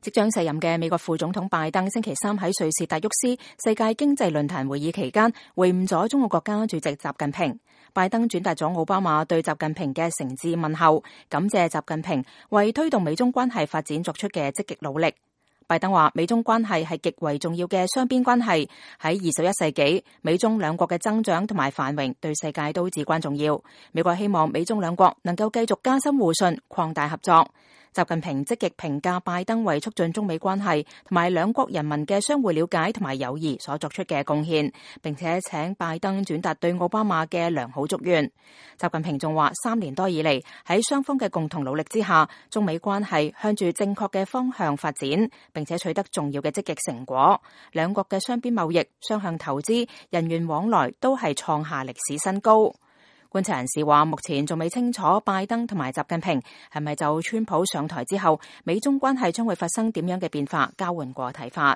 即將卸任嘅美國副總統拜登星期三喺瑞士達沃斯世界經濟論壇會議期間會晤咗中國國家主席習近平。拜登轉達咗奧巴馬對習近平嘅誠摯問候，感謝習近平為推動美中關係發展作出嘅積極努力。拜登話，美中關係係極為重要嘅雙邊關係，喺21世紀，美中兩國嘅增長同埋繁榮對世界都至關重要。美國希望美中兩國能夠繼續加深互信，擴大合作。習近平積極評價拜登為促進中美關係同埋兩國人民嘅相互了解同埋友誼所作出嘅貢獻，並且請拜登轉達對奧巴馬嘅良好祝願。習近平仲話，3年多以嚟，喺雙方嘅共同努力之下，中美關係向住正確嘅方向發展，並且取得重要嘅積極成果。兩國嘅雙邊貿易、雙向投資、人員往來都係創下歷史新高。觀察人士話，目前仲未清楚拜登同埋習近平係咪就川普上台之後，美中關係將會發生點樣嘅變化，交換過睇法。